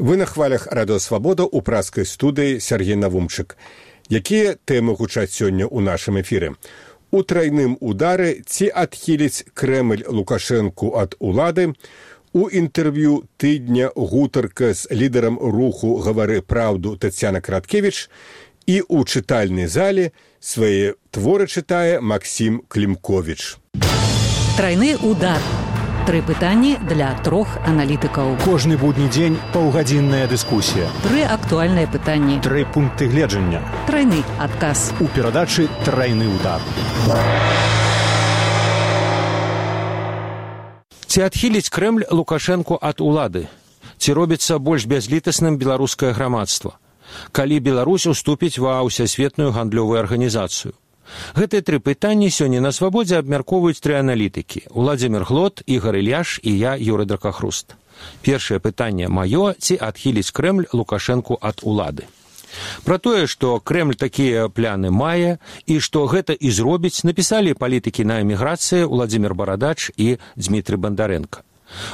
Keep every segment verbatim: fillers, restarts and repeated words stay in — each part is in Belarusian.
Вы на хвалях Радыё Свабода ў праскай студыі Сергей Навумчык. Якія тэмы гучаць сёння ў нашым эфіры? У трайным удары ці адхіліць Крэмль Лукашэнку ад улады? У інтэрв'ю тыдня гутарка з лідарам руху «Гавары праўду» Тацяна Краткевіч і ў чытальнай зале свае творы чытае Максім Клімковіч. Трайны удар. Тры пытанні для трох аналітыкаў. Кожны будні дзень паўгадзінная дыскусія. Тры актуальныя пытанні. Тры пункты гледжання. Трайны адказ. У перадачы «Трайны удар». Ці адхіліць Крэмль Лукашэнку ад улады? Ці робіцца больш бязлітасным беларускае грамадства? Калі Беларусь уступіць ва ўсясветную гандлёвую арганізацыю? Гэтыя тры пытанні сёння на Свабодзе абмяркоўваюць тры аналітыкі: Уладзімір Глот, Ігар Ільяш і я, Юрый Дракахруст. Першае пытанне маё: ці адхіліць Крэмль Лукашэнку ад улады? Пра тое, што Крэмль такія пляны мае і што гэта і зробіць, напісалі палітыкі на эміграцыі Уладзімір Барадач і Дзмітрый Бандарэнка.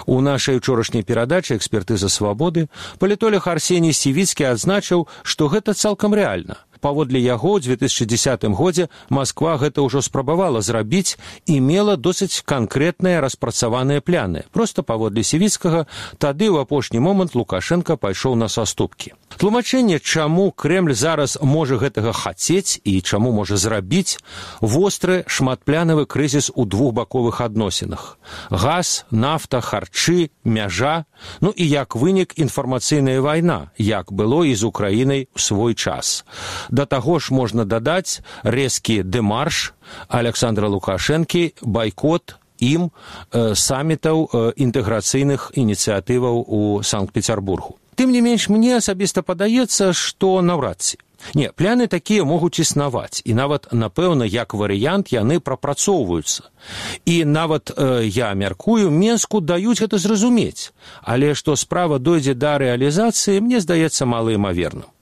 У нашай учорашняй перадачы «Экспертыза Свабоды» палітолог Арсеній Сівіцкі адзначыў, што гэта цалкам рэальна. Паводле яго, ў дзве тысячы дзесятым годзе Масква гэта ўжо спрабавала зрабіць і мела досыць канкрэтныя распрацаваныя пляны. Проста паводле Сівіцкага, тады ў апошні момант Лукашэнка пайшоў на саступкі. Тлумачэнне, чаму Крэмль зараз можа гэтага хацець і чаму можа зрабіць, востры шматплянавы крызіс у двухбаковых адносінах. Газ, нафта, харчы, мяжа, ну і як вынік інфармацыйная вайна, як было і з Украінай у свой час. Да таго ж можна дадаць рэзкі дэмарш Александра Лукашэнкі, байкот ім э, самітаў э, інтэграцыйных ініцыятываў у Санкт-Пецярбургу. Тым не менш, мне асабіста падаецца, што наўрад ці. Не, пляны такія могуць існаваць, і нават, напэўна, як варыянт, яны прапрацоўваюцца. І нават, э, я мяркую, Менску даюць гэта зразумець, але што справа дойдзе да рэалізацыі, мне здаецца малаімаверным.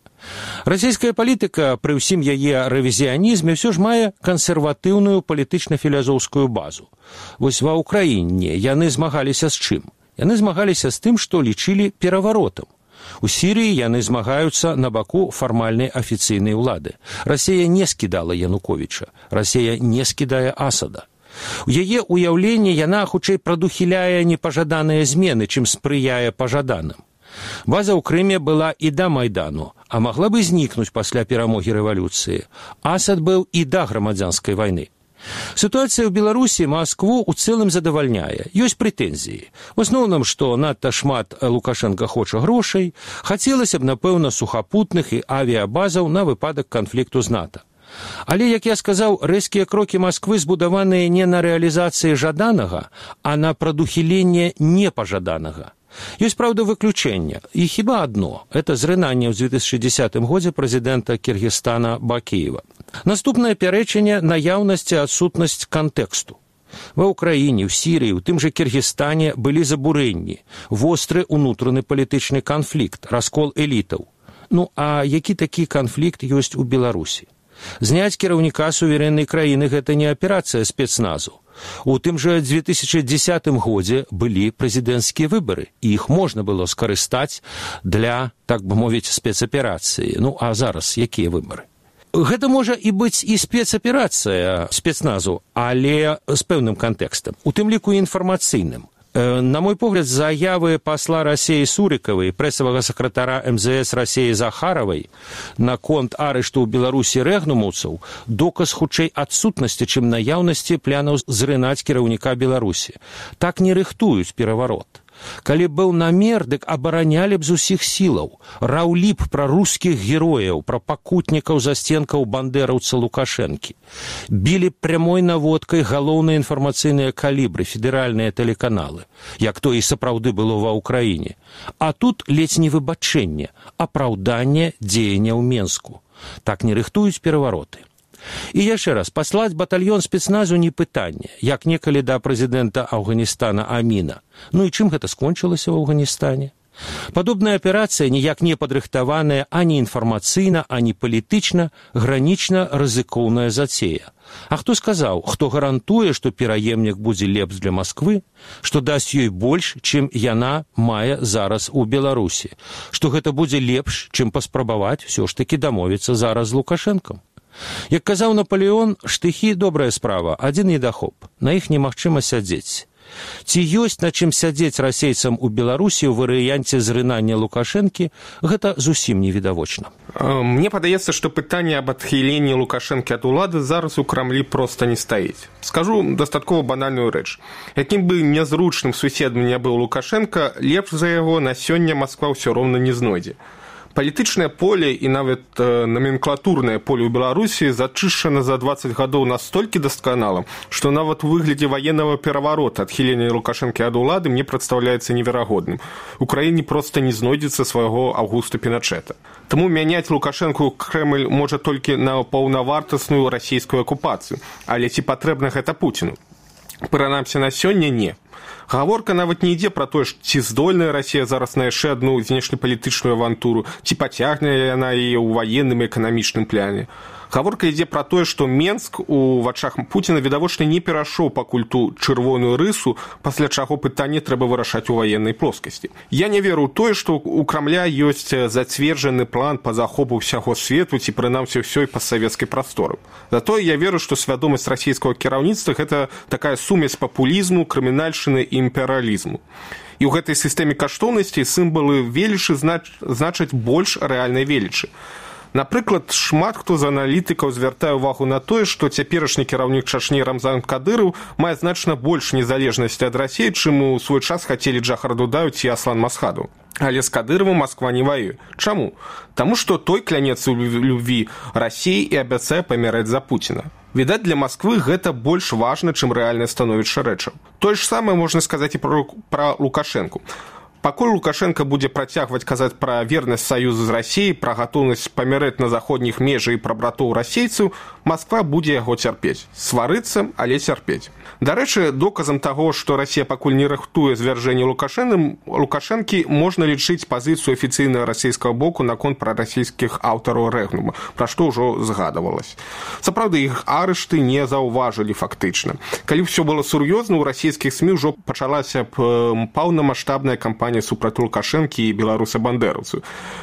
Расійская палітыка, пры ўсім яе рэвізіянізме, ўсё ж мае кансерватыўную палітычна-філазофскую базу. Вось ва ўкраіне яны змагаліся з чым? Яны змагаліся з тым, што лічылі пераваротам. У Сірыі яны змагаюцца на баку фармальнай афіцыйнай улады. Расія не скідала Януковіча, Расія не скідае Асада. У яе ўяўленні яна хутчэй прадухіляе непажаданыя змены, чым спрыяе пажаданым. База ў Крыме была і да Майдану, а магла бы знікнуць пасля перамогі рэвалюцыі. Асад быў і да грамадзянскай вайны. Сітуацыя ў Беларусі Маскву ў цэлым задавальняе. Ёсць прэтэнзіі. В асноўным, што надта шмат Лукашэнка хоча грошай, хацелася б, напэўна, сухапутных і авіябазаў на выпадак канфлікту з НАТО. Але, як я сказаў, рэзкія крокі Масквы збудаваныя не на рэалізацыі жаданага, а на прадухіленне непажаданага. Ёсць, праўда, выключэнне, і хіба адно – это зрынанне ў дзве тысячы дзесятым годзе прэзідэнта Кіргізстана Бакіева. Наступнае пярэчанне – наяўнасць і адсутнасць кантэксту. Ва ўкраіне, ў Сірыі, у тым жа Кіргізстане былі забурэнні, востры ўнутраны палітычны канфлікт, раскол элітаў. Ну, а які такі канфлікт ёсць у Беларусі? Зняць кіраўніка суверэннай краіны – гэта не аперацыя спецназу. У тым жа дзве тысячы дзесятым годзе былі прэзідэнцкія выбары, і іх можна было скарыстаць для, так бы мовіць, спецаперацыі. Ну, а зараз якія выбары? Гэта можа і быць і спецаперацыя спецназу, але з пэўным кантэкстам, у тым ліку інфармацыйным. На мой погляд, заявы пасла Расіі Сурыкавай, прэсавага сакратара эм зэ эс Расіі Захаравай наконт арышту ў Беларусі рэгнумаўцаў доказ хутчэй адсутнасці, чым наяўнасці планаў зрынаць кіраўніка Беларусі. Так не рыхтуюць пераварот. Калі быў намер, дык абаранялі б з усіх сілаў, раўлі б пра рускіх герояў, пра пакутнікаў засценкаў бандэраўца Лукашэнкі. Білі прямой наводкай галоўныя інфармацыйныя калібры, федэральныя тэлеканалы, як то і сапраўды было ва ўкраіне. А тут ледзь не выбачэнне, апраўданне дзеяння ў Менску. Так не рыхтуюць перавароты. І яшчэ раз, паслаць батальён спецназу не пытанне, як некалі да прэзідэнта Афганістана Аміна. Ну і чым гэта скончылася ў Афганістане? Падобная аперацыя, ніяк не падрыхтаваная ані інфармацыйна, ані палітычна, гранічна рызыкоўная зацея. А хто сказаў, хто гарантуе, што пераемнік будзе лепш для Масквы, што дасць ёй больш, чым яна мае зараз у Беларусі, што гэта будзе лепш, чым паспрабаваць усё ж такі дамовіцца зараз з Лукашэнкам. Як казаў Напалеон, штыхі – добрая справа, адзін недахоп, на іх немагчыма сядзець. Ці ёсць на чым сядзець расейцам у Беларусі ў варыянце зрынання Лукашэнкі, гэта зусім невідавочна. Мне падаецца, што пытанне аб адхіленні Лукашэнкі ад улады зараз у Крамлі проста не стаіць. Скажу дастаткова банальную рэч. Якім бы нязручным суседам не быў Лукашэнка, лепш за яго на сёння Масква ўсё роўна не знойдзе. Палітычнае поле і нават э, наменклатурнае поле ў Беларусі зачышчана за дваццаць гадоў настолькі дасканала, што нават у выглядзе ваеннага пераварота адхілення Лукашэнкі ад улады мне прадстаўляецца неверагодным. У краіне проста не знойдзецца свайго Аўгуста Піначэта. Таму мяняць Лукашэнку Крэмль можа толькі на паўнавартасную расійскую акупацыю. Але ці патрэбна гэта Пуціну? Прынамсі на сёння не. Гаворка нават не ідзе пра тое, ці здольная Расія зараз на яшчэ адну знешнепалітычную авантуру, ці пацягне яна яе ў ваенным і эканамічным пляне. Гаворка ідзе пра тое, што Менск у вачах Пуціна відавочна не перайшоў пакуль ту чырвоную рысу, пасля чаго пытанне трэба вырашаць у ваеннай плоскасці. Я не веру ў тое, што у Крамля ёсць зацверджаны план па захопу ўсяго свету ці прынамсі ўсёй пастсавецкай прасторы. Затое я веру, што свядомасць расійскага кіраўніцтва – гэта такая сумесь папулізму, крымінальшчыны і імперыялізму. І ў гэтай сістэме каштоўнасцей сімвалы велічы значаць больш рэальнай велічы. Напрыклад, шмат хто з аналітыкаў звяртае ўвагу на тое, што цяперашні кіраўнік Чачні Рамзан Кадыраў мае значна больш незалежнасці ад Расіі, чым у свой час хацелі Джахар Дудаев ці Аслан Масхадов. Але з Кадыровым Масква не воюе. Чаму? Таму што той кляняецца ў любві Расіі і абяцае паміраць за Пуціна. Відаць, для Масквы гэта больш важна, чым рэальнае становішча рэчаў. Тое ж самае можна сказаць і пра, пра Лукашэнку. Пакуль Лукашенко будзе працягваць казаць пра вернасць саюзу з Расіяй, пра гатоўнасць памірэць на заходніх межах і пра братоў расейцаў, Масква будзе яго цярпець. Сварыцца, але цярпець. Дарэчы, доказам таго, што Расія пакуль не рыхтуе звяржэнне Лукашэнкі, можна лічыць пазіцыю афіцыйнага расійскага боку наконт прарасійскіх аўтараў рэгнума, пра што ўжо згадавалася. Сапраўды, іх арышты не заўважылі фактычна. Калі ўсё было сур'ёзна, у расійскіх СМІ ўжо пачалася паўнамаштабная кампанія супраць Лукашэнкі і беларуса-бандэраўцаў.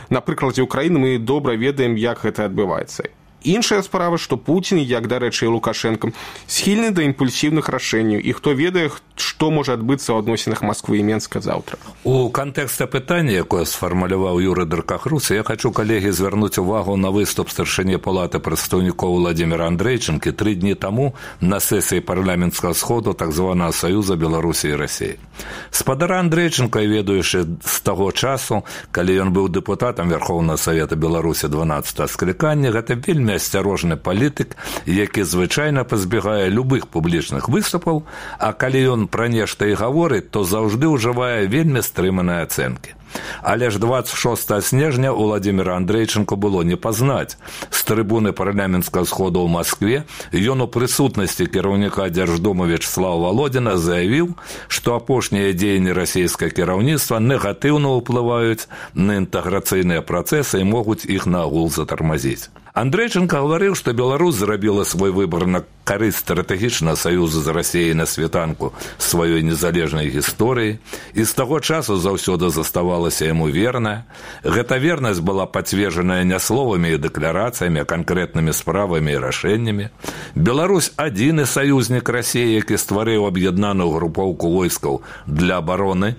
На прыкладзе ўкраіны мы добра ведаем, як гэта адбываецца. Іншая справа, што Пуцін, як, дарэчы, і Лукашэнка, схільны да імпульсіўных рашэнняў, і хто ведае, што можа адбыцца ў адносінах Масквы і Менска заўтра. У кантэксце пытання, якое сфармуляваў Юрый Дыркахрус, я хочу, калегі, звярнуць увагу на выступ старшыні палаты прадстаўнікоў Владзіміра Андрэйчынкі тры дні таму на сесіі парламенцкага сходу так званага Саюза Беларусі і Расіі. Спадара Андрэйчынка, ведаючы з таго часу, калі ён быў дэпутатам Верхоўнага Савета Беларусі дванаццатага склікання, гэта вельмі асцярожны палітык, які звычайна пазбегае любых публічных выступаў, а калі ён пра нешта і гаворыць, то заўжды ўжывае вельмі стрыманыя ацэнкі. Але ж дваццаць шостага снежня у Владзіміра Андрэйчынку было не пазнаць. З трыбуны парламенцкага сходу ў Маскве ён у прысутнасці кіраўніка Дзярждумы Вячеслава Валодзіна заявіў, што апошнія дзеянні расійскага кіраўніцтва негатыўна ўплываюць на інтэграцыйныя працэсы і могуць іх наагул затармазіць. Андрэйчынка гаварыў, што Беларусь зрабіла свой выбар на карысць стратэгічнага саюзу з Расіяй на світанку сваёй незалежнай гісторыі, і з таго часу заўсёды заставалася яму верная. Гэта вернасць была пацверджаная не словамі і дэкларацыямі, а канкрэтнымі справамі і рашэннямі. Беларусь адзіны саюзнік Расіі, які стварыў аб'яднаную групоўку войскаў для абароны.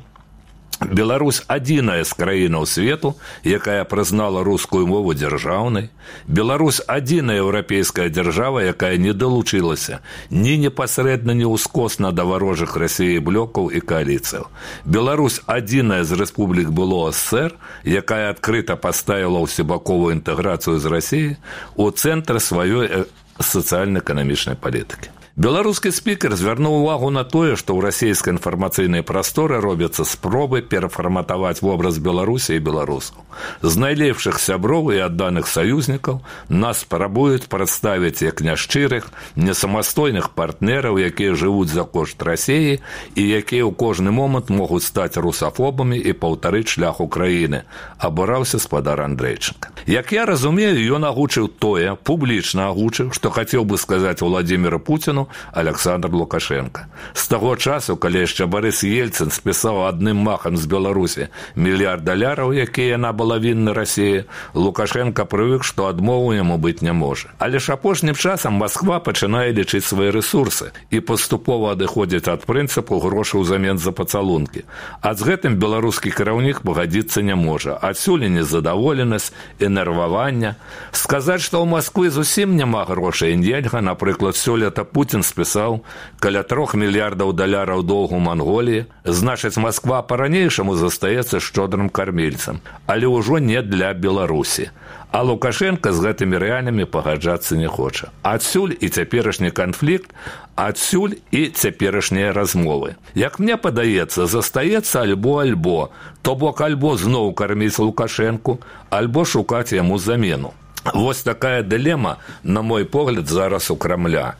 Беларусь адзіная з краінаў свету, якая прызнала рускую мову дзяржаўнай. Беларусь адзіная еўрапейская дзяржава, якая не далучылася ні непасрэдна, ні ўскосна да варожых Расіі блокаў і кааліцыяў. Беларусь адзіная з рэспублік былога СССР, якая адкрыта паставіла ўсебаковую інтэграцыю з Расіяй у цэнтр сваёй сацыяльна-эканамічнай палітыкі. Беларускі спікер звярнуў увагу на тое, што ў расійскай інфармацыйнай прасторы робяцца спробы перафарматаваць вобраз Беларусі і беларусаў. З найлепшых сяброў і адданых саюзнікаў нас спрабуюць прадставіць як няшчырых, несамастойных партнераў, якія жывуць за кошт Расіі і якія ў кожны момант могуць стаць русафобамі і паўтарыць шлях Украіны, абураўся спадар Андрейченка. Як я разумею, ён агучыў тое, публічна агучыў, што хацеў бы сказаць Владзіміру Пуціну Александр Лукашенко. З таго часу, калі яшчэ Барыс Ельцын спісаў адным махам з Беларусі мільярд даляраў, якія яна была вінна Расіі, Лукашенко прывык, што адмову яму быць не можа. Але ж апошнім часам Масква пачынае лічыць свае рэсурсы і паступова адыходзіць ад прынцыпу грошы ўзамен за пацалункі. А з гэтым беларускі кіраўнік пагадзіцца не можа. Адсюль і незадаволенасць, і нервавання. Сказаць, што ў Масквы зусім няма грошай нельга, напрыклад, сёлета Пуцін спісаў каля трох мільярдаў даляраў доўгу Манголіі, значыць, Масква па-ранейшаму застаецца шчодрым кармельцам, але ўжо не для Беларусі. А Лукашенко з гэтымі рэалямі пагаджацца не хоча. Адсюль і цяперашні канфлікт, адсюль і цяперашнія размовы. Як мне падаецца, застаецца альбо-альбо, то бок альбо зноў карміць Лукашенку, альбо шукаць яму замену. Вось такая дылема, на мой погляд, зараз у Крамля.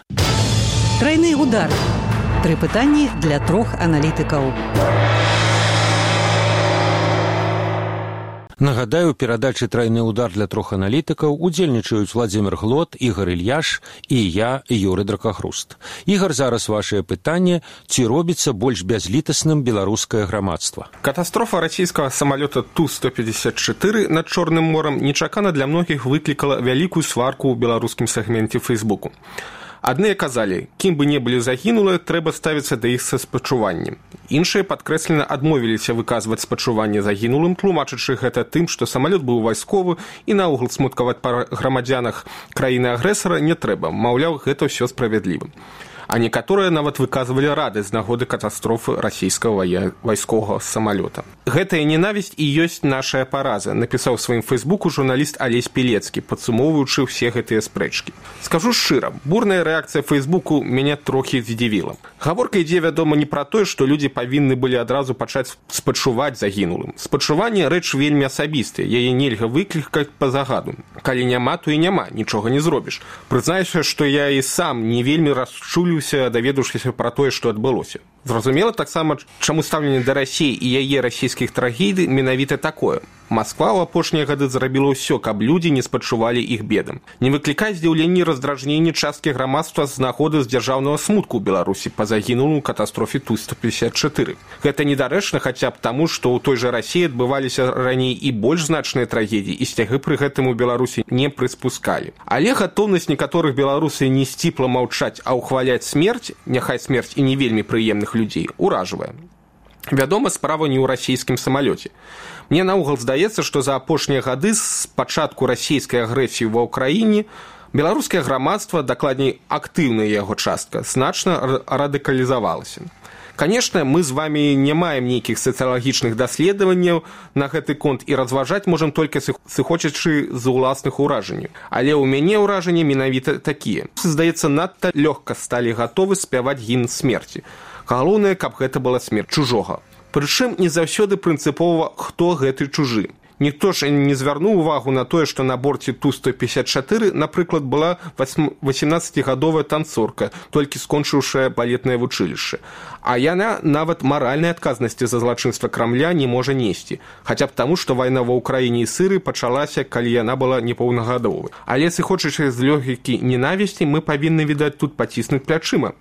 Трайны удар. Тры пытанні для трох аналітыкаў. Нагадаю, у перадачы «Трайны удар» для трох аналітыкаў удзельнічаюць Владзімір Глот, Ігор Ільяш і я, Юры Дракахруст. Ігор, зараз вашае пытанне, ці робіцца больш бязлітасным беларускае грамадства? Катастрофа расійскага самалёта Ту сто пятьдесят четыре над Чорным морам нечакана для многіх выклікала вялікую сварку ў беларускім сегменце Фейсбуку. Адныя казалі, кім бы не былі загінулыя, трэба ставіцца да іх са спачуваннем. Іншыя падкрэслена адмовіліся выказваць спачуванне загінулым, тлумачачы гэта тым, што самалёт быў вайсковы і наогул смуткаваць па грамадзянах краіны-агрэсара не трэба, маўляў, гэта ўсё справядліва. А некаторыя нават выказвалі радасць з нагоды катастрофы расійскага вайсковага самалёта. Гэтая ненавісць і ёсць нашая параза, напісаў у сваім фейсбуку журналіст Алесь Пілецкі, падсумоўваючы ўсе гэтыя спрэчкі. Скажу шчыра, бурная рэакцыя фейсбуку мяне трохі здзівіла. Гаворка ідзе, вядома, не пра тое, што людзі павінны былі адразу пачаць спачуваць загінулым. Спачуванне рэч вельмі асабістая, яе нельга выклікаць па загаду. Калі няма, то і няма, нічога не зробіш. Прызнаюся, што я і сам не вельмі расчулю, даведаўшыся пра тое, што адбылося. Зразумела таксама, чаму стаўленне да Расіі і яе расійскіх трагедый менавіта такое. Масква ў апошнія гады зрабіла ўсё, каб людзі не спачувалі іх бедам. Не выклікае здзіўленне і раздражненне часткі грамадства з нагоды з дзяржаўнага смутку ў Беларусі па загінулым у катастрофе Ту сто пятьдесят четыре. Гэта недарэчна хаця б таму, што ў той жа Расіі адбываліся раней і больш значныя трагедіі, і сцягі пры гэтым у Беларусі не прыспускалі. Але гатоўнасць некаторых беларусаў не сціпла маўчаць, а ўхваляць смерць, няхай смерць і не вельмі прыемных людзей, уражвае. Вядома, справа не ў расійскім самалёце. Мне наогул здаецца, што за апошнія гады з пачатку расійскай агрэсіі ва ўкраіне беларускае грамадства, дакладней актыўная яго частка, значна радыкалізавалася. Канешне, мы з вамі не маем нейкіх сацыялагічных даследаванняў на гэты конт і разважаць можам толькі сыходзячы з уласных уражанняў. Але ў мяне ўражанні менавіта такія. Здаецца, надта лёгка сталі гатовы спяваць гімн смерці. Галоўнае, каб гэта была смерць чужога. Прычым не заўсёды прынцыпова, хто гэты чужы. Ніхто ж не звярнуў увагу на тое, што на борце Ту сто пятьдесят четыре, напрыклад, была восемнаццацігадовая танцорка, толькі скончыўшая балетнае вучылішча. А яна нават маральнай адказнасці за злачынства Крамля не можа несці, хаця б таму, што вайна ва ўкраіне і Сырыі пачалася, калі яна была непаўнагадовай. Але сыходзячы з лёгікі ненавісці, мы павінны, відаць, тут паціснуць плячыма.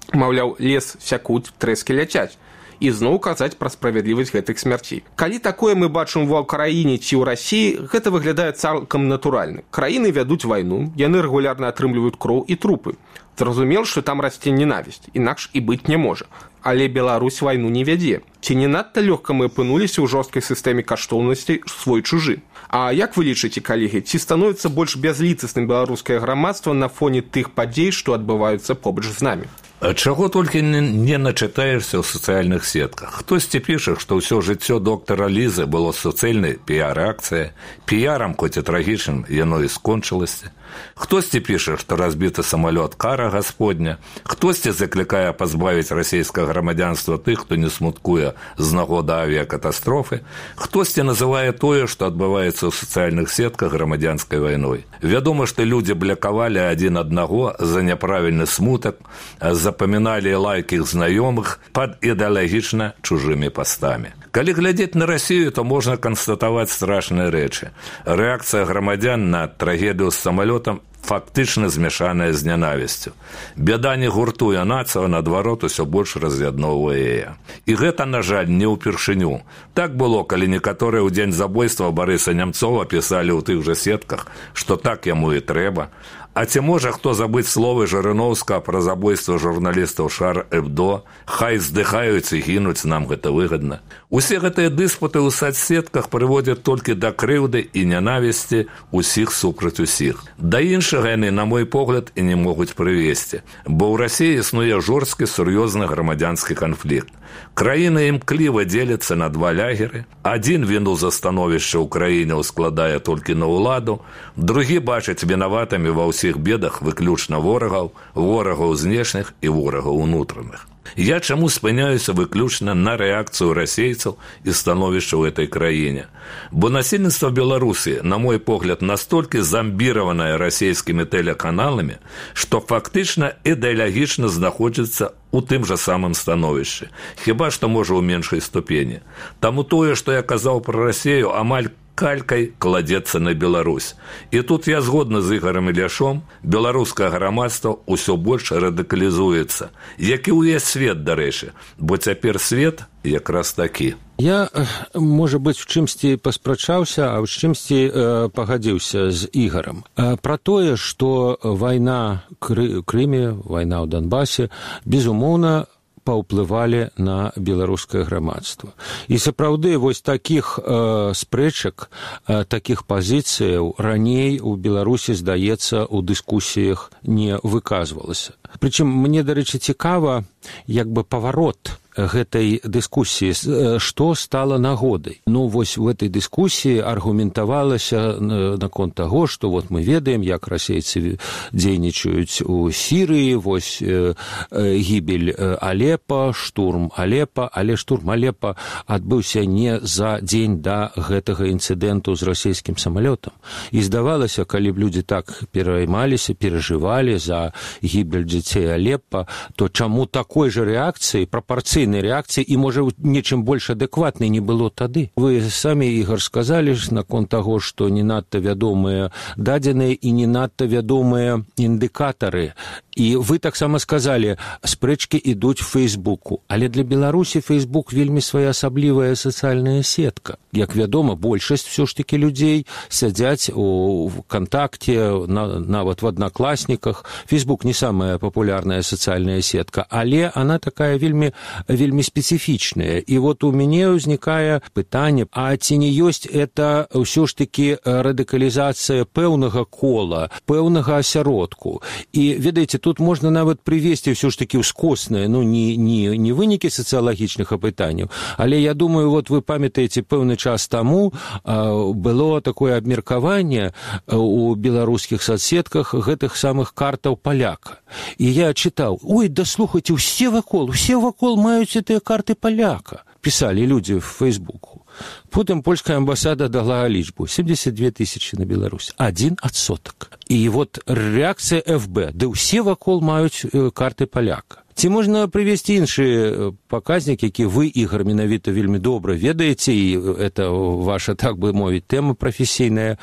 Маўляў, лес сякуць, трэскі ляцяць. І зноў казаць пра справядлівасць гэтых смярцей. Калі такое мы бачым ва ўкраіне ці ў Расіі, гэта выглядае цалкам натуральна. Краіны вядуць вайну, яны рэгулярна атрымліваюць кроў і трупы. Зразумела, што там расце ненавісць, інакш і быць не можа. Але Беларусь вайну не вядзе. Ці не надта лёгка мы апынуліся ў жорсткай сістэме каштоўнасцей свой-чужы? А як вы лічыце, калегі, ці становіцца больш бязлітасным беларускае грамадства на фоне тых падзей, што адбываюцца побач з намі? Чаго толькі не начытаешся ў сацыяльных сетках. Хтосьці піша, што ўсё жыццё доктара Лізы было суцэльнай піяр-акцыя, піярам, хоць і трагічным, яно і скончылася. Хтосьці піша, што разбіты самалёт кара Господня, хтосьці заклікае пазбавіць расійскага грамадзянства тых, хто не смуткуе з нагоды авіякатастрофы, хтосьці называе тое, што адбываецца ў сацыяльных сетках грамадзянскай вайной. Вядома, што людзі блякавалі адзін аднаго за няправільны смутак, запаміналі лайкі іх знаёмых пад ідэалагічна чужымі пастамі. Калі глядзець на Расію, то можна канстатаваць страшныя рэчы. Рэакцыя грамадзян на трагедыю з самалётам фактычна змяшаная з нянавісцю. Бяда не гуртуе нацыю, а наадварот усё больш раз'ядноўвае яе. І гэта, на жаль, не ўпершыню. Так было, калі некаторыя ў дзень забойства Барыса Нямцова пісалі ў тых жа сетках, што так яму і трэба. А ці можа хто забыць словы Жырыноўскага пра забойства журналістаў Шар Эбдо? Хай здыхаюць і гінуць, нам гэта выгадна. Усе гэтыя дыспуты ў сацсетках прыводзяць толькі да крыўды і нянавісці ўсіх супраць усіх. Да іншага яны, на мой погляд, і не могуць прывесці, бо ў Расіі існуе жорсткі сур'ёзны грамадзянскі канфлікт. Краіна імкліва дзеліцца на два лягеры. Адзін віну за становішча ў краіне ўскладае толькі на ўладу, другі бачыць вінаватымі ва ўсіх бедах выключна ворагаў, ворагаў знешніх і ворагаў унутраных. Я чаму спыняюся выключна на рэакцыю расейцаў і становішча ў этой краіне? Бо насельніцтва Беларусі, на мой погляд, настолькі замбіраванае расійскімі тэлеканаламі, што фактычна ідэалагічна знаходзіцца у тым жа самым становішчы, хіба што можа ў меншай ступені. Таму тое, што я казаў пра Расію, амаль калькай кладзецца на Беларусь. І тут я згодна з Ігорам Іляшом, беларускае грамадства ўсё больш радыкалізуецца, як і ўвесь свет, дарэчы, бо цяпер свет якраз такі. Я, можа быць, в чымсьці паспрачаўся, а ў чымсьці э, пагадзіўся з Ігорам. Э, пра тое, што вайна ў Крыме, вайна ў Донбасе, безумоўна, паўплывалі на беларускае грамадства. І сапраўды вось такіх э, спрэчак, э, такіх пазіцыяў раней у Беларусі, здаецца, у дыскусіях не выказвалася. Прычым мне, дарэчы, цікава, як бы паварот гэтай дыскусіі, што стала нагодай. Ну, вось в этой дыскусіі аргументавалася наконт таго, што вот мы ведаем, як расейцы дзейнічаюць у Сірыі, вось э, гібель Алепа, штурм Алепа, але штурм Алепа адбыўся не за дзень да гэтага інцыдэнту з расійскім самалётам. І здавалася, калі б людзі так пераймаліся, перажывалі за гібель дзяцей Алепа, то чаму такой жа рэакцыі, прапарцыйнай рэакцыі і, можа, нечым больш адэкватнай не было тады. Вы самі, Ігор, сказалі наконт таго, што не надта вядомыя дадзеныя і не надта вядомыя індыкатары. І вы таксама сказалі, спрэчкі ідуць в Фейсбуку. Але для Беларусі Фейсбук вельмі своеасаблівая сацыяльная сетка. Як вядома, большасць все ж таки людзей сядзяць у Вконтакте, на, нават в Одноклассниках. Фейсбук не самая популярная сацыяльная сетка, але она такая вельмі, вельмі специфічная. І вот у мяне ўзнікае пытанне, а ці не ёсць это ўсё ж таки радыкалізацыя пэўнага кола, пэўнага асяродку. І, ведаеце, тут можна нават прывесці ўсё ж таки ўскосныя, ну, не, не, не вынікі сацыялагічных апытанняў, але я думаю, вот вы памятаеце, пэўны час таму а, было такое абмеркаванне у беларускіх соцсетках гэтых самых картаў паляка. І я чытаў, ой, да слухайце, усе вакол, усе вакол маюць гэтыя карты паляка. Пісалі людзі в Фейсбуку. Потым польская амбасада дала лічбу семьдесят две тысячи на Беларусь. Один адсотак. І вот рэакцыя эф бэ. Ды ўсе вакол маюць карты паляка. Ці можна прывесці іншы паказнік, які вы, Ігор, менавіта вельмі добра ведаеце, і это ваша, так бы мовіць, тэма прафесійная.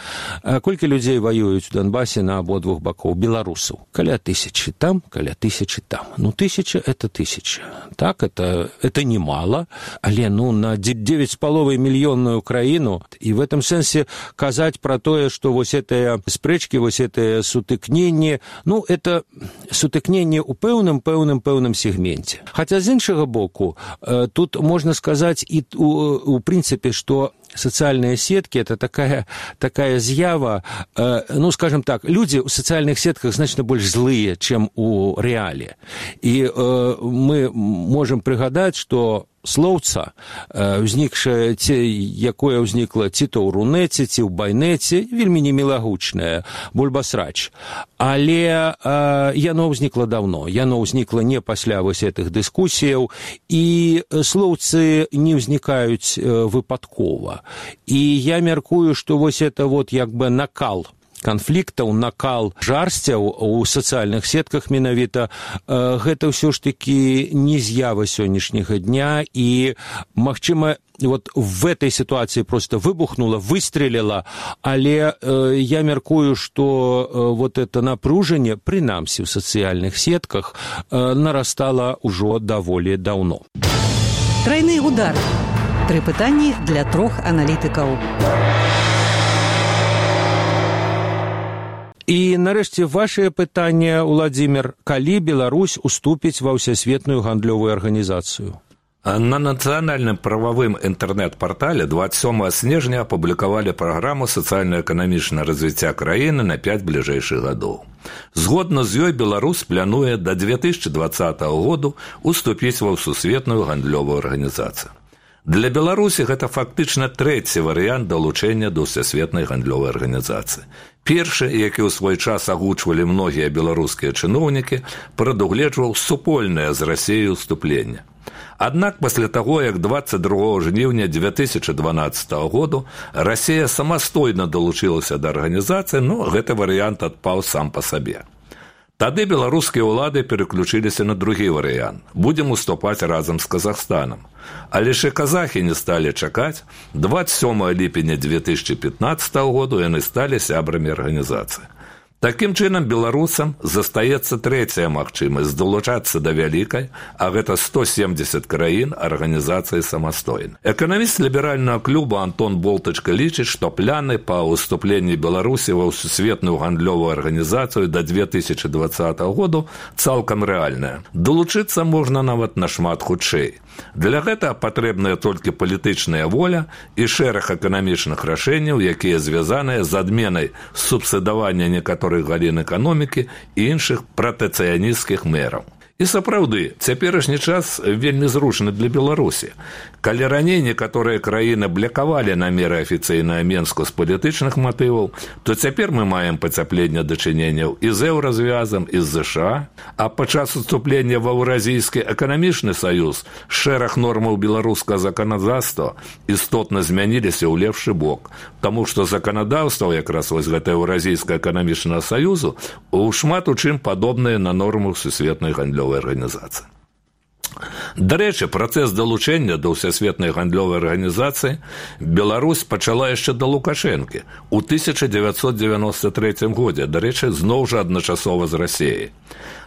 Колькі людзей ваююць у Донбасе на абодвух бакоў? Беларусаў. Каля тысячы там, каля тысячы там. Ну, тысяча – это тысяча. Так, это, это немало, але, ну, на девять с половиной мільённую краіну. І в этом сэнсе казаць пра тое, што вось гэтыя спрэчкі, вось гэтыя сутыкненні, ну, это сутыкненне ў пэўным, пэўным, пэўным сегменте. Хотя з іншага боку, тут можно сказать и у, у принципе, что социальные сетки – это такая, такая з'ява, ну, скажем так, люди в социальных сетках значно больше злые, чем у реале. И мы можем пригадать, что слоўца, узнікшае, якое ўзнікла ці то ў рунеце, ці ў байнеце, вельмі немілагучнае, бульбасрач. Але э, яно ўзнікла даўно, яно ўзнікла не пасля вось гэтых дыскусіяў, і слоўцы не ўзнікаюць э, выпадкова. І я мяркую, што вось это вот як бы накал канфліктаў, накал жарсцяў у сацыяльных сетках менавіта, э, гэта ўсё ж такі не з'ява сённяшняга дня, і, магчыма, вот в этой ситуации просто выбухнула, выстрелила, але э, я мяркую, что э, вот это напружение, принамсі в социальных сетках, э, нарастало уже даволі давно. Тройны удар. Тры пытанні для трох аналітыкаў. І, нарэшце, вашее пытанне, Уладзімір, калі Беларусь уступіць ва ўсесветную гандлёвую арганізацыю? На нацыянальным прававым інтэрнэт-партале двадцать сёмага снежня апублікавалі праграму сацыяльна-эканамічнага развіцця краіны на пяць бліжэйшых гадоў. Згодна з ёй Беларусь плануе да две тысячи двадцатага году уступіць ва сусветную гандлёвую арганізацыю. Для Беларусі гэта фактычна трэці варыянт далучэння да ўсесветнай гандлёвай арганізацыі. Першы, які ў свой час агучвалі многія беларускія чыноўнікі, прадугледжваў супольнае з Расіяй уступленне. Аднак пасля таго, як двадцать другого жніўня две тысячи дванаццатага году Расія самастойна далучылася да арганізацыі, но гэты варыянт адпаў сам па сабе. Тады беларускія ўлады переключыліся на другі варыянт. Будзем уступаць разам з Казахстанам. Але ж і казахі не сталі чакаць. двадцать сёмага ліпеня две тысячи пятнадцатага году яны сталі сябрамі арганізацыі. Такім чынам беларусам застаецца трэцяя магчымасць далучацца да вялікай, а гэта сто семьдесят краін арганізацыі самастойна. Эканаміст ліберальнага клуба Антон Болтачка лічыць, што пляны па ўступленні Беларусі ва сусветную гандлёвую арганізацыю да две тысячи двадцатага году цалкам рэальная. Далучыцца можна нават нашмат хутчэй. Для гэтага патрэбная толькі палітычная воля і шэраг эканамічных рашэнняў, якія звязаныя з адменай субсідавання некаторых галін эканомікі і іншых пратэцыянісцкіх мэраў. І сапраўды, цяперашні час вельмі зручны для Беларусі. Калі раней некаторыя краіны блакавалі намеры афіцыйнага Менску з палітычных матываў, то цяпер мы маем пацяпленне дачыненняў і з еўразвязам, і з ЗША, а падчас уступлення ва Еўразійскі эканамічны саюз шэраг нормаў беларускага заканадаўства істотна змяніліся ў лепшы бок, таму што заканадаўства якраз вось гэта Еўразійскага эканамічнага саюзу у шмат у чым падобныя на нормы сусветнай гандлёвай арганізацыі. Дарэчы, працэс далучэння да ўсесветнай гандлёвай арганізацыі Беларусь пачала яшчэ да Лукашэнкі ў тысяча дзевяцьсот дзевяносто трэцім годзе, дарэчы, зноў жа адначасова з Расіяй.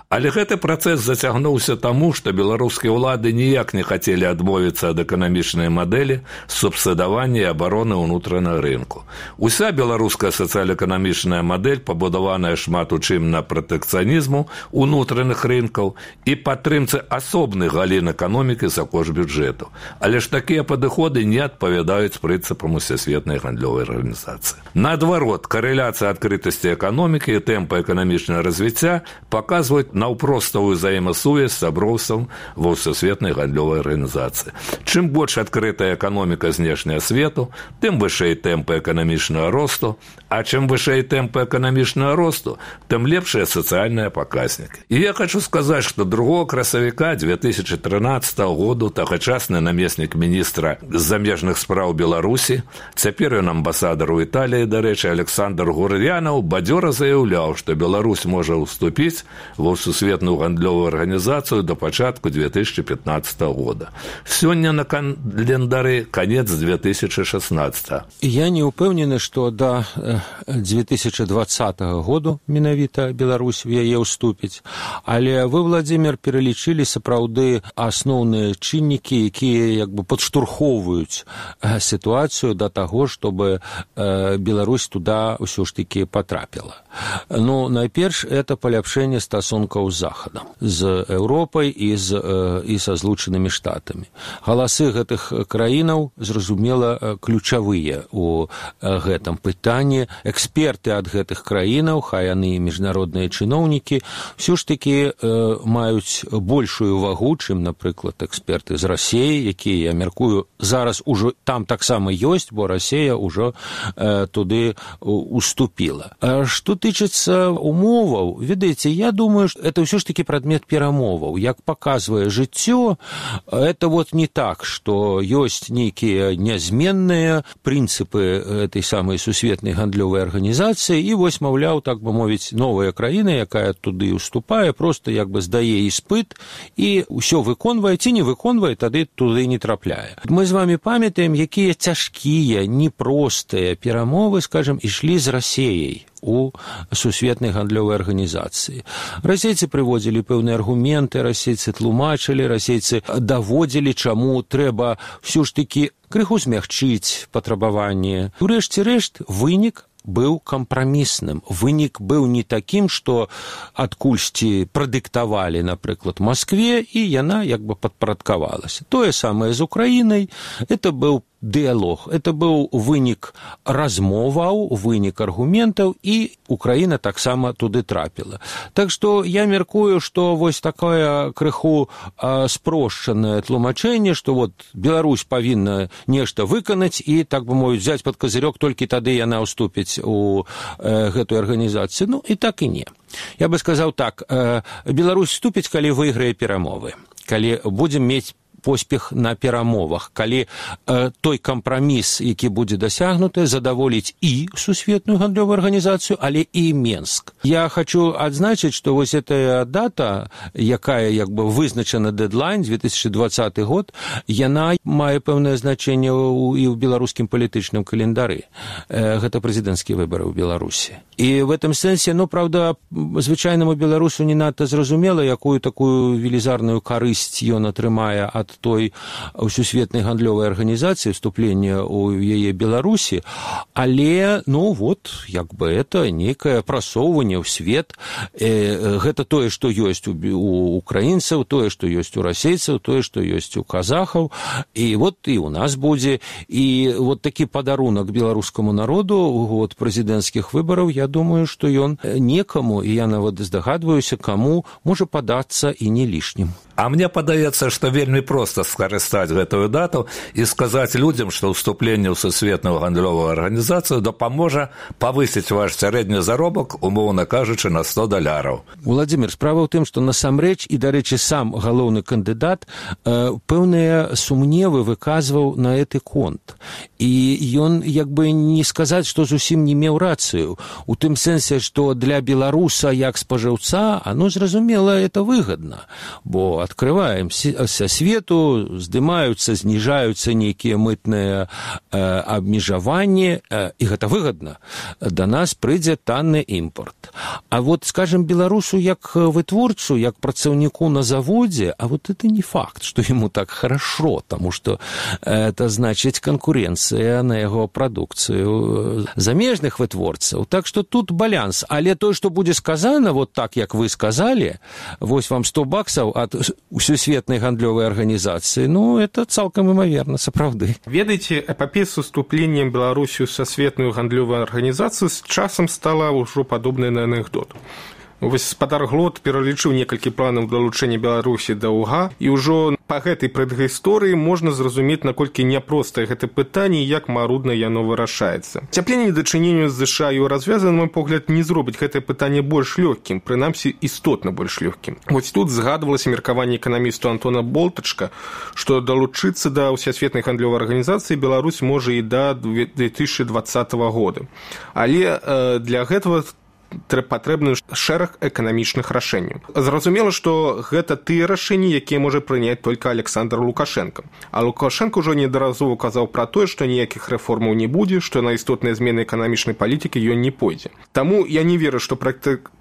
Але гэты працэс зацягнуўся таму, што беларускія ўлады ніяк не хацелі адмовіцца ад эканамічнай мадэлі субсідавання і абароны ўнутранага рынку. Уся беларуская сацыяльна-эканамічная мадэль пабудаваная шмат у чым на пратэкцыянізму ўнутраных рынкаў і падтрымцы асобных галін эканомікі за кошт бюджэту. Але ж такія падыходы не адпавядаюць прынцыпам усесветнай гандлёвай арганізацыі. Наадварот, карэляцыя адкрытасці эканомікі і тэмпа эканамічнага развіцця паказваюць наўпроставую взаемасувязь сяброўствам ва ўсесветнай гандлёвай арганізацыі. Чым больш адкрытая эканоміка знешняга свету, тым вышэй тэмпы эканамічнага росту, а чым вышэй тэмпы эканамічнага росту, тым лепшыя сацыяльныя паказнікі. І я хочу сказаць, што другога красавіка две тысячи трынаццатага году тагачасны намеснік міністра замежных спраў Беларусі, цяпер ён амбасадар у Італіі, дарэчы, Александр Гур'янаў, бадзёра заяўляў, што Беларусь можа ўступіць ва сусветную гандлёвую арганізацыю до пачатку две тысячи пятнадцатага года. Сёння на календары конец две тысячи шестнадцатого. Я не упэўнены, што да две тысячи двадцатага году менавіта Беларусь в яе ўступіць, але вы, Владзімір, пералічылі сапраўды асноўныя чыннікі, якія як бы падштурхоўваюць сітуацыю да таго, чтобы Беларусь туда ўсё ж таки потрапіла. Ну, найперш, это паляпшэнне стасункаў стасункаў з захадам, з Еўропай і з і са злучанымі штатамі. Галасы гэтых краінаў, зразумела, ключавыя у гэтым пытанні. Эксперты ад гэтых краінаў, хай яны і міжнародныя чыноўнікі, ўсё ж такі маюць большую вагу, чым, напрыклад, эксперты з Расіі, якія, я мяркую, зараз ужо там таксама ёсць, бо Расія ўжо туды уступіла. А што тычыцца умоваў, ведаеце, я думаю, што это ўсё ж такі прадмет перамоваў. Як паказвае жыццё, это вот не так, што ёсць нейкія нязменныя прынцыпы этой самай сусветнай гандлёвай арганізацыі, і вось, маўляў, так бы мовіць, новая краіна, якая туды уступае, просто як бы здае іспыт і ўсё выконвае, ці не выконвае, тады туды не трапляе. Мы з вами памятаем, якія цяжкія, непростыя перамовы, скажем, ішлі з Расіяй у сусветнай гандлёвай арганізацыі. Расейцы прыводзілі пэўныя аргументы, расейцы тлумачылі, расейцы даводзілі, чаму трэба ўсё ж такі крыху змягчыць патрабаванні. Урэшце рэшт, вынік быў кампрамісным. Вынік быў не такім, што адкульсьці прадыктавалі, напрыклад, Маскве, і яна як бы падпарадкавалася. Тое самае з Украінай. Это быў дыялог. Это быў вынік размоваў, вынік аргументаў, і Украіна таксама туды трапіла. Так што я мяркую, што вось такое крыху а, спрошчанае тлумачэнне, што вот Беларусь павінна нешта выканаць і, так бы мовіць, взяць пад казырёк, толькі тады яна ўступіць у э, гэтую арганізацыю. Ну, і так і не. Я бы сказаў так, э, Беларусь вступіць, калі выйграе перамовы, калі будзем мець поспех на перамовах, калі э, той кампраміс, які будзе дасягнуты, задаволіць і сусветную гандлёвую арганізацыю, але і Менск. Я хочу адзначыць, што вось эта дата, якая як бы вызначана дэдлайн, две тысячи двадцаты год, яна мае пэўнае значэнне і ў беларускім палітычным календары. Э, гэта прэзідэнцкія выбары ў Беларусі. І в этом сэнсе, ну, правда, звычайнаму беларусу не надта зразумела, якую такую велізарную карысць ён атрымае ад той сусветнай гандлёвай арганізацыі, вступлення ў яе Беларусі, але, ну, вот, як бы это некае прасоўванне ў свет. Э, гэта тое, што ёсць у, у украінцаў, тое, што ёсць у расейцаў, тое, што ёсць у казахаў, і вот і у нас будзе. І вот такі падарунак беларускаму народу у год прэзідэнцкіх выбараў, я думаю, што ён некаму, і я нават здагадваюся, каму можа падацца і не лішнім. А мне падаецца, што вельмі проста скарыстаць гэтую дату і сказаць людзям, што ўступленне ў сусветную гандлёвую арганізацыю дапаможа павысіць ваш сярэдні заробак, умоўна кажучы, на сто даляраў. Владзімир, справа ў тым, што насамрэч, і, дарэчы, сам галоўны кандыдат э, пэўныя сумневы выказваў на гэты конт. І ён, як бы не сказаць, што зусім не меў рацыю. У тым сэнсе, што для беларуса як спажыўца, оно, зразумела, это выгадна, бо открываемся свету, здымаюцца, зніжаюцца нейкія мытныя э, абмежаванні, э, і гэта выгадна. Да нас прыйдзе танны імпорт. А вот, скажем, беларусу як вытворцу, як працаўніку на заводзе, а вот это не факт, што ему так хорошо, потому что это значит конкуренция на яго прадукцыю замежных вытворцаў. Так что тут баланс. Але то, што будзе сказано, вот так, як вы сказали, вось вам сто баксаў ад сусветнай гандлёвай арганізацыі, ну, это цалкам імаверна, сапраўды. Ведаеце, эпапея з уступлением Беларусі ў сусветную гандлёвую арганізацыю з часам стала ўжо падобнай на анекдот. Вось спадар Глот пералічыў некалькі планаў далучэння Беларусі да УГА, і ўжо па гэтай прэдгісторыі можна зразумець, наколькі няпростае гэта пытанне і як марудна яно вырашаецца. Цяпленне дачыненню з ЗША і развязана, на мой погляд, не зробіць гэтае пытанне больш лёгкім, прынамсі істотна больш лёгкім. Вось тут згадвалася меркаванне эканамісту Антона Болтачка, што далучыцца да ўсесветнай гандлёвай арганізацыі Беларусь можа і да две тысячи двадцатого года. Але э, для гэтага патрэбны шэраг эканамічных рашэнняў. Зразумела, што гэта тыя рашэнні, якія можа прыняць толькі Александр Лукашенко. А Лукашенко ўжо неаднаразова казаў пра тое, што ніякіх рэформаў не будзе, што на істотныя змены эканамічнай палітыкі ён не пойдзе. Таму я не веру, што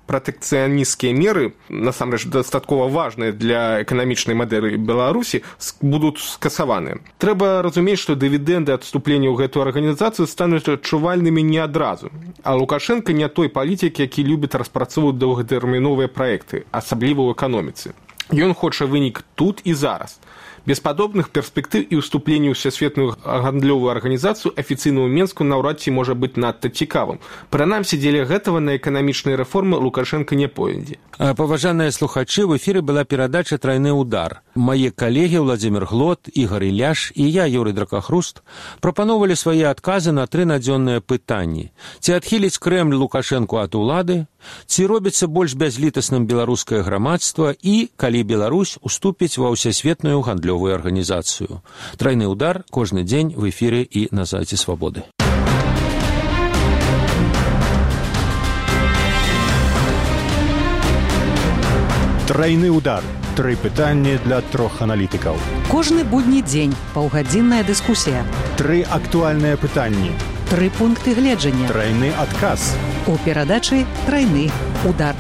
пратэкцыянісцкія меры, насамрэч дастаткова важныя для эканамічнай мадэлі Беларусі, будуць скасаваны. Трэба разумець, што дывідэнды адступлення ў гэтую арганізацыю стануць адчувальнымі не адразу. А Лукашенко не той палітык, які любіць распрацоўваць доўгатэрміновыя праекты, асабліва ў эканоміцы. Ён хоча вынік тут і зараз. Без падобных перспектыў і ўступлення ў Всесветную гандлёвую арганізацыю афіцыйнаму Менску наўрад ці можа быць надта цікавым. Прынамсі, дзеля гэтага на эканамічныя рэформы Лукашенко не пойдзе. Паважаныя слухачы, в эфіры была перадача «Трайны удар». Мае калегі Владзімир Глот, Ігор Іляш і я, Юрый Дракахруст, прапановалі свае адказы на тры надзённыя пытанні. Ці адхіліць Крэмль Лукашэнку ад улады, ці робіцца больш бязлітасным беларускае грамадства і калі Беларусь уступіць ва Всесветную гандлёвую арганізацыю. «Трайны удар» кожны дзень в эфіры і на сайце Свабоды. Трайны удар. Тры пытанні для трох аналітыкаў. Кожны будні дзень паўгадзінная дыскусія. Тры актуальныя пытанні. Тры пункты гледжання. Трайны адказ. У перадачы «Трайны удар».